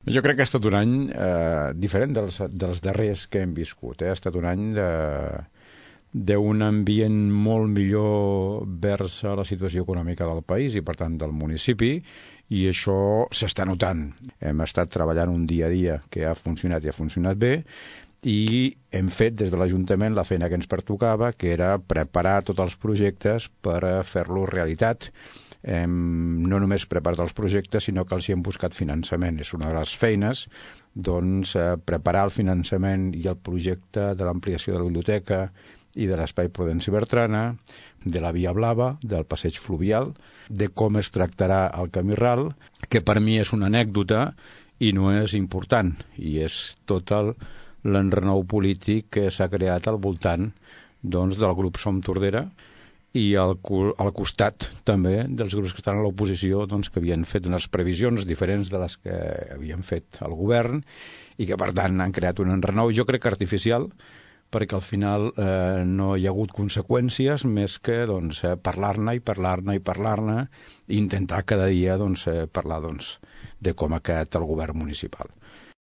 Jo crec que ha estat un any diferent dels darrers que hem viscut. Ha estat un any d'un ambient molt millor vers a la situació econòmica del país i, per tant, del municipi, i això s'està notant. Hem estat treballant un dia a dia que ha funcionat i ha funcionat bé, i hem fet des de l'Ajuntament la feina que ens pertocava, que era preparar tots els projectes per fer-los realitat. No només preparat els projectes, sinó que els hi hem buscat finançament. És una de les feines, doncs, preparar el finançament i el projecte de l'ampliació de la biblioteca i de l'Espai Prudenci Bertrana, de la Via Blava, del passeig fluvial, de com es tractarà el camí ral, que per mi és una anècdota i no és important, i és tot l'enrenou polític que s'ha creat al voltant, doncs, del grup Som Tordera i al costat també dels grups que estan a l'oposició, doncs, que havien fet unes previsions diferents de les que havien fet el govern i que, per tant, han creat un enrenou, jo crec que artificial, perquè al final no hi ha hagut conseqüències més que doncs, parlar-ne i intentar cada dia parlar de com ha quedat el govern municipal.